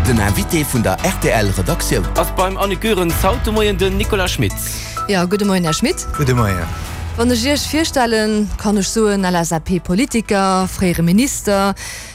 Den Invité vun der rtl Redaktioun. Ass beim Annick Goerens haut de Moien den Nicolas Schmit. Jo, gudde Moien, Här Schmit. Gudde Moien. Wann ech Iech virstellen, kann ech soen, LSAP-Politiker, fréiere Minister,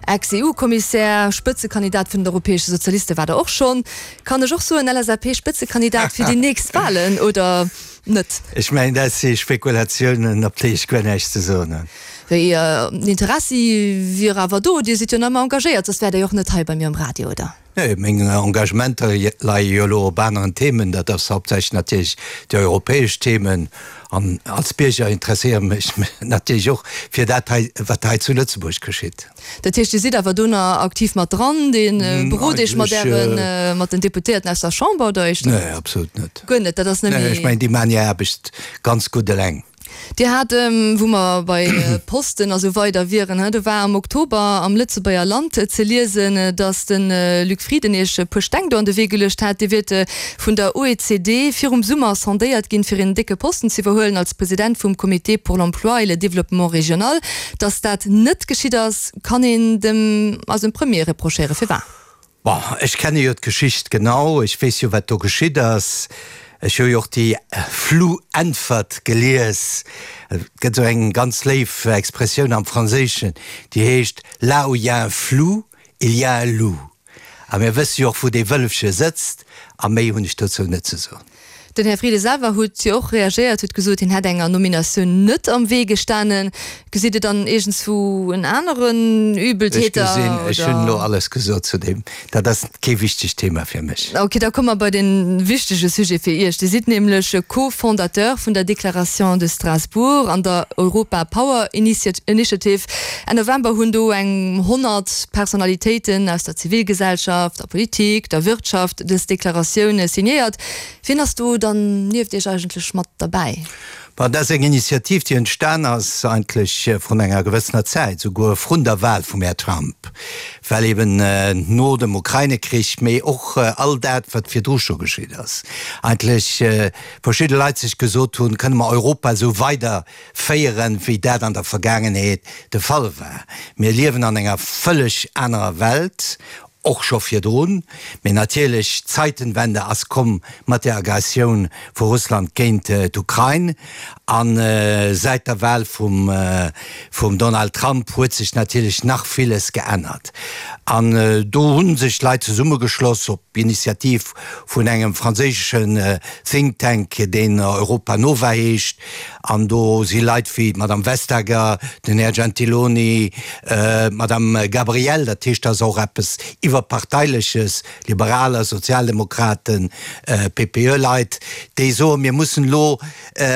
Ex-EU-Kommissär, Spëtzekandidat vun den Europäesche Sozialiste war Der och schonn. Kann ech och soen, LSAP-Spëtzekandidat fir déi nächst Wahlen, oder net? Ech mengen, dat si Spekulatiounen, op déi ech guer näischt ze soen hunn. Wéi, den Interessi wier awer do, Dir sidd jo nach ëmmer engagéiert, soss wäert Der jo och net hei bei mir um Radio, oder? Nee, meng Engagementer leie jo elo op aneren Themen. Dat ass hauptsächlech natierlech déi europäesch Themen. An als Bierger interesséiere mech natierlech och fir dat hei, wat hei zu Lëtzebuerg geschitt. Dat heescht, Dir sidd awer do nach aktiv mat dran, Dir berot Iech mat Ären, mat den Deputéierten aus der Chamber oder éischter net? Nee, absolut net. Guer net, dat ass net méi. Nee, ech mengen, déi maachen hir Aarbecht ganz gutt eleng. Dir hat, wou mer bei Posten a sou weider wieren, do war am Oktober am Lëtzebuerger Land ze liesen, datt de Luc Frieden Iech e puer Steng do an de Wee geluecht hat. Dir wiert vun der OECD virum Summer sondéiert ginn, fir een décke Posten ze iwwerhuelen als President vum Comité pour l'emploi et le développement régional. Datt dat net geschitt ass, kann een dem eisem Premier reprochéieren. Firwat? Bon, ech kenne jo d'Geschicht genau, ech weess jo wat do geschitt ass. Ech hu jo och déi flou Äntwert gelies. Et gëtt esou eng ganz léif Expressioun am Franséischen, déi heescht, Là où il y a un flou, il y a un loup. A mir wësse jo och wou dee Wëllefche sëtzt, a méi hunn ech dozou net ze soen. Den Här Frieden selwer huet jo och reagéiert, huet gesot, hien hätt enger Nominatioun net am Wee gestanen. Gesitt Dir dann iergendswou en aneren Übeltäter? Ech gesinn, ech hunn elo alles gesot zu deem. Dat ass kee wichtegt Thema fir mech. Ok, da komme mer bei de wichtege Sujet fir Iech. Dir sidd nämlech Co-Fondateur vun der Déclaration de Strasbourg an der Europa Power Initiative. Enn November hunn do eng 100 Personalitéiten aus der Zivilgesellschaft, der Politik, der Wirtschaft dës Deklaratioun signéiert. Wien ass do dann nieft Iech eigentlech mat derbäi? Bon, dat ass eng Initiativ, déi entstan ass eigentlech vrun enger gewëssener Zäit, souguer vrun der Wahl vum Här Trump, well eben no dem Ukraine-Krich, mee och all dat, wat virdru scho geschitt ass, eigentlech verschidde Leit sech gesot hunn, Kënne mer Europa esou weider féieren, wéi dat an der Vergaangenheet de Fall war? Mir liewen an enger vëlleg anerer Welt, Och scho virdrun, mee natierlech, d'Zeitenwende ass komm mat der Aggressioun vu Russland géint d'Ukrain. A säit der Wahl vum vum Donald Trump huet sech natierlech nach villes geännert. An do hu sech Leit zesummegeschloss op Initiativ vun engem franséischen Think Tank, deen Europa Nova heescht. An do si Leit wéi d'Madame Vestager, den Här Gentiloni, d'Madame Gabriel, dat heescht, dat ass och eppes Iwwerparteileches, Liberaler, Sozialdemokraten, PPE-Leit, déi soen, mir mussen elo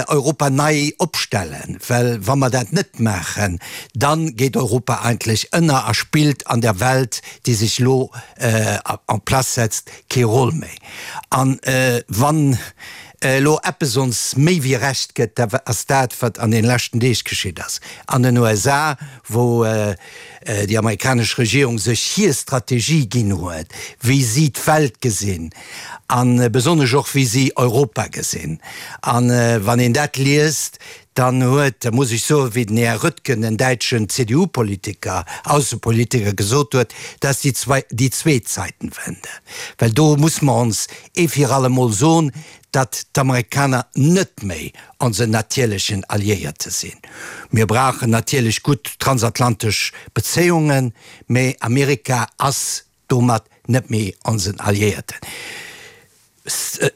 Europa nei opstellen, well wa mer dat net maachen, da geet Europa eigentlech ënner a spillt an der Welt, déi sech elo en place setzt, kee Roll méi. An wann elo eppes ons méi wéi Recht gëtt, da ass dat, wat an den leschten Deeg geschitt ass an den USA, wou déi amerikanesch Regierung sech hir Strategie ginn huet, wéi si d'Welt gesinn a besonnesch och wéi si Europa gesinn. A wann een dat liest, Dann huet, muss ech soen, wéi den Här Röttgen, en däitschen CDU-Politiker, Aussepolitiker, gesot huet, dat ass déi zwei, déi zweet Zeitenwende. Well do muss mer ons ee fir alle Mol soen, datt d'Amerikaner net méi onsen natierlechen Alliéierte sinn. Mir brauchen natierlech gutt transatlantesch Bezéiungen, mä Amerika ass domat net méi onsen Alliéierten.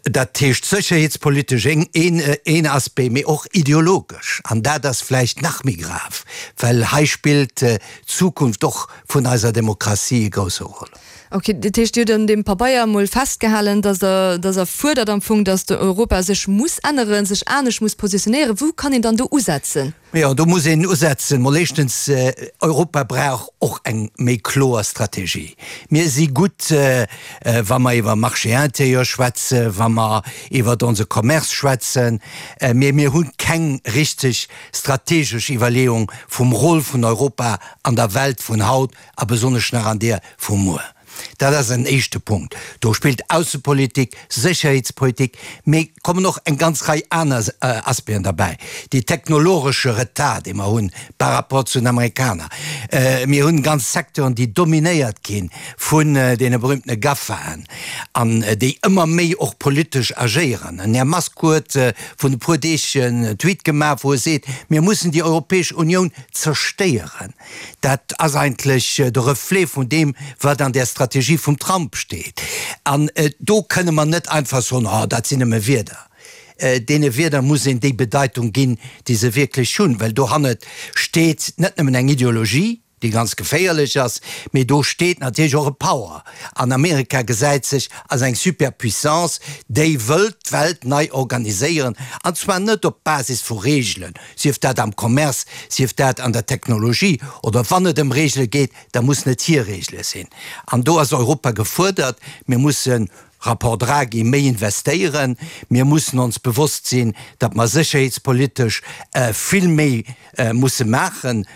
Dat heescht sécherheetspolitesch een Aspect, mee och ideologesch. An dat ass vläicht nach méi grav, well hei spillt d'Zukunft och vun eiser Demokratie e grousse Rôle. Ok, dat heescht, Dir hutt an deem Pabeier emol festgehalen, datt Der, datt Der fuerdert am Fong, datt Europa sech muss änneren, sech anescht muss positionéieren. Wou kann een dann do usetzen? Jo, do muss een usetzen. Mol éischtens, Europa brauch och eng méi kloer Strategie. Mir si gutt, wa mer iwwer Marché intérieur schwätzen, wa mer iwwer onse Commerce schwätzen, mee mir hu keng richteg strategesch Iwwerleeung vum Rôle vun Europa an der Welt vun haut a besonnesch nach an deer vu muer. Dat ass en éischte Punkt. Do spillt Aussepolitik, Sécherheetspolitik, mee kommen och eng ganz Rei aner Aspecten derbäi. Dee technologesche Retard, dee mer hunn par rapport zu den Amerikaner. Mir hunn ganz Secteuren, déi dominéiert gi vun deene berühmtene GAFAen an déi ëmmer méi och politesch agéieren. Den Här Musk huet vrun e puer Deeg en Tweet gemaach, wou e seet, mir mussen déi Europäesch Unioun zerstéieren. Dat ass eigentlech de Reflet vun deem, wat an där Strategie vum Trump steet. An do kënne mer net einfach soen, oh, dat sinn nëmme Wierder. Deene Wierder muss een déi Bedeitung ginn, déi se wierklech hunn, well dohannert steet net nëmmen eng Ideologie, déi ganz geféierlech ass, mee do steet natierlech och e Power. An Amerika gesäit sech als eng Superpuissance, déi wëllt d'Welt nei organiséieren, an zwar net op Basis vu Reegelen, sief dat am Commerce, sief dat an der Technologie, oder wann et ëm Reegele geet, da mussen et hir Reegele sinn. An do ass Europa gefuerdert. Mir mussen, Rapport Draghi, méi investéieren. Mir mussen ons bewosst sinn, datt mer sécherheetspolitesch vill méi musse maachen.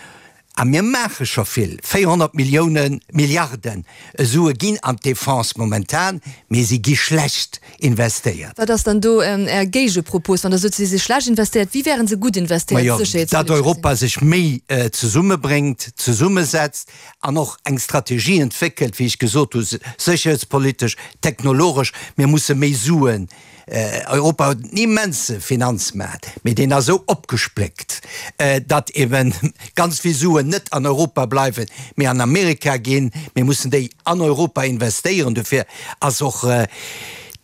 A mir maache scho vill, 400 Milliounen, Milliarden Sue ginn an d'Defense momentan, mee si gi schlecht investéiert. Wat ass dann do Är Géigepropos, wann Der sot, si si schlecht investéiert? Wéi wäre se gutt investéiert, Majo, sécherheetspolitesch datt gesinn? Europa sech méi zesummebréngt, zesummesetzt an och eng Strategie entwéckelt, wéi ech gesot hu, sécherheetspolitesch, technologesch. Mir musse méi Suen Europa huet en immense Finanzmaart, mee deen ass esou opgespléckt, datt ebe ganz vill Suen net an Europa bleiwen, mee an Amerika ginn. Mir mussen déi an Europa investéieren. Dofir ass och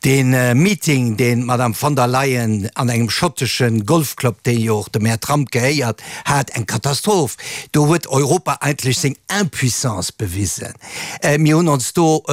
dee Meeting, deen d'Madame von der Leyen an engem schottesche Golfclub, dee jo och dem Här Trump gehéiert, hat, eng Katastroph. Do huet Europa eigentlech seng Impuissance bewisen. Mir hunn ons do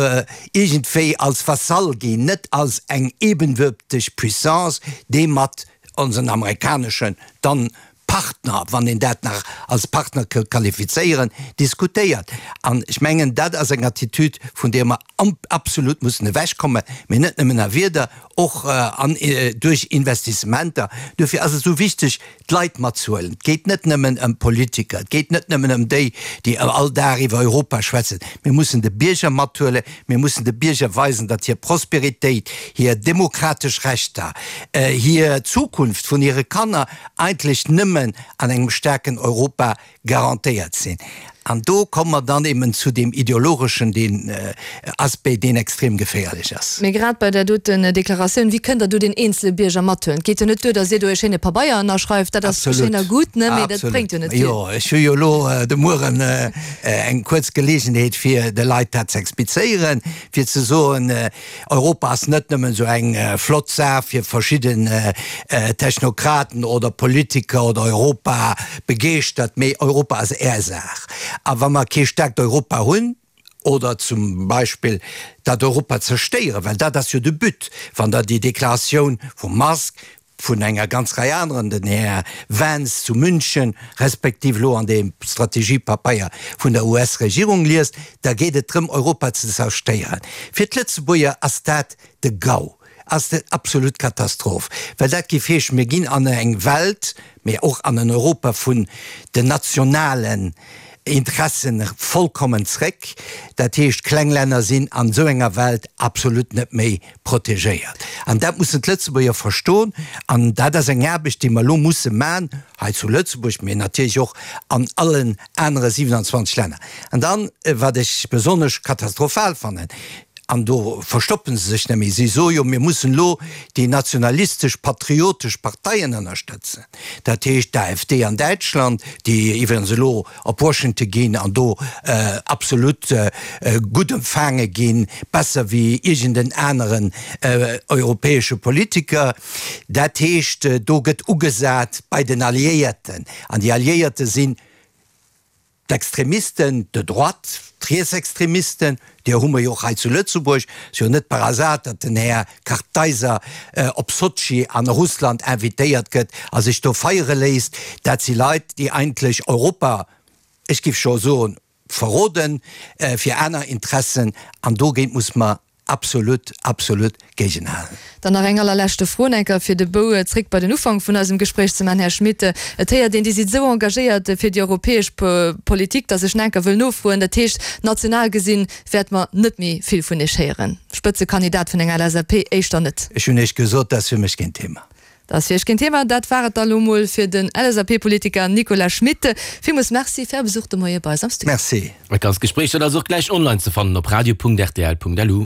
iergendwéi als Vasall ginn, net als eng ebenwürteg Puissance, déi mat onsen amerikaneschen dann Partner, wann een dat nach als Partner ka qualifizéieren, diskutéiert. An ech mengen, dat ass eng Attitüd, vun där mer absolut mussen ewechkommen, mee net nëmmen a Wierder, och an duerch Investissementer. Duerfir ass et esou wichteg, d'Leit matzehuelen. Et geet net nëmmen ëm d'Politiker, et geet net nëmmen ëm déi, déi all Dag iwwer Europa schwätzen. Mir mussen de Bierger mathuelen, mir mussen de Bierger weisen, datt hir Prosperitéit, hir demokratesch Rechter, hir Zukunft vun hire Kanner eigentlech nëmmen an engem staarken Europa garantéiert sinn. An do komme mer dann eben zu deem ideologeschen, deen Aspect, deen extrem geféierlech ass. Mee grad bei där doten Deklaratioun, wéi kënnt Der do deen eenzele Bierger mathuelen? Et geet jo net duer, datt Dir do e schéine Pabeier ënnerschreift, dat ass schéin a gutt, ne, mee dat bréngt jo net vill. Jo, ech hu jo elo de Mueren eng kuerz Geleegenheet, fir de Leit dat ze explizéieren, fir ze soen, Europa ass net nëmmen esou eng flott Saach fir verschidden Technokraten oder Politiker oder Europa begeeschtert, mee Europa ass Är Saach. A wa mer kee staarkt Europa hunn, oder zum Beispill dat Europa zerstéieren, well dat ass jo de But, wann Der déi Deklaratioun vum Musk, vun enger ganz Rei aneren, den Här Vance zu München, respektiv elo an deem Strategiepapeier vun der US-Regierung liest, da geet et drëm, Europa ze zerstéieren. Fir d'Lëtzebuerger ass dat de GAU, ass dat absolut Katastroph, well dat géif heeschen, mir ginn an eng Welt, mee och an en Europa vun den nationalen Interessen vollkommen zréck. Dat heescht, kleng Länner sinn an esou enger Welt absolut net méi protegéiert. An dat mussen d'Lëtzebuerger verstoen. An dat ass eng Aarbecht, déi mer elo musse maachen, hei zu Lëtzebuerg, mee natierlech och an allen anere 27 Länner. An dann, wat ech besonnesch katastrophal fannen, an do verstoppe se sech net méi, si soe jo, mir mussen elo déi nationalistesch, patriotesch Parteien ënnerstëtzen, dat heescht d'AfD an Däitschland, déi iwwregens elo op Washington ginn an do absolut gutt empfaange ginn, besser wéi iergend en aneren europäesche Politiker. Dat heescht, do gëtt ugesat bei den Alliéierten, an déi Alliéierte sinn d'Extremisten de droite, d'Rietsextremisten, Deer hu mer jo och hei zu Lëtzebuerg. Et ass jo net par hasard, datt den Här Kartheiser op Sotschi an Russland invitéiert gëtt a sech do feiere léisst. Dat si Leit, déi eigentlech Europa, ech géif scho soen, verroden fir aner Interessen. An dogéint muss mer. Absolut, absolut géigenhalen. Dann nach eng allerleschte Fro, enker fir de Bou zréck bei den Ufank vun eisem Gespréich ze man, Här Schmit. Et héiert een, Dir sidd esou engagéiert fir déi europäesch Politik, datt ech enker wëll nofroen, dat heescht, national gesinn wäerte mer net méi vill vun Iech héieren? Spëtzekandidat vun enger LSAP éischter net. Ech hunn Iech gesot, dat ass fir mech keen Thema. Dat ass fir Iech keen Thema. Dat war et da lo mol fir den LSAP-Politiker Nicolas Schmit. Villmools Merci fir Är Besuch de Moie bei eis am Studio. Merci. Dat ganzt Gespréich dat ass och gläich online ze fannen op radio.rtl.lu.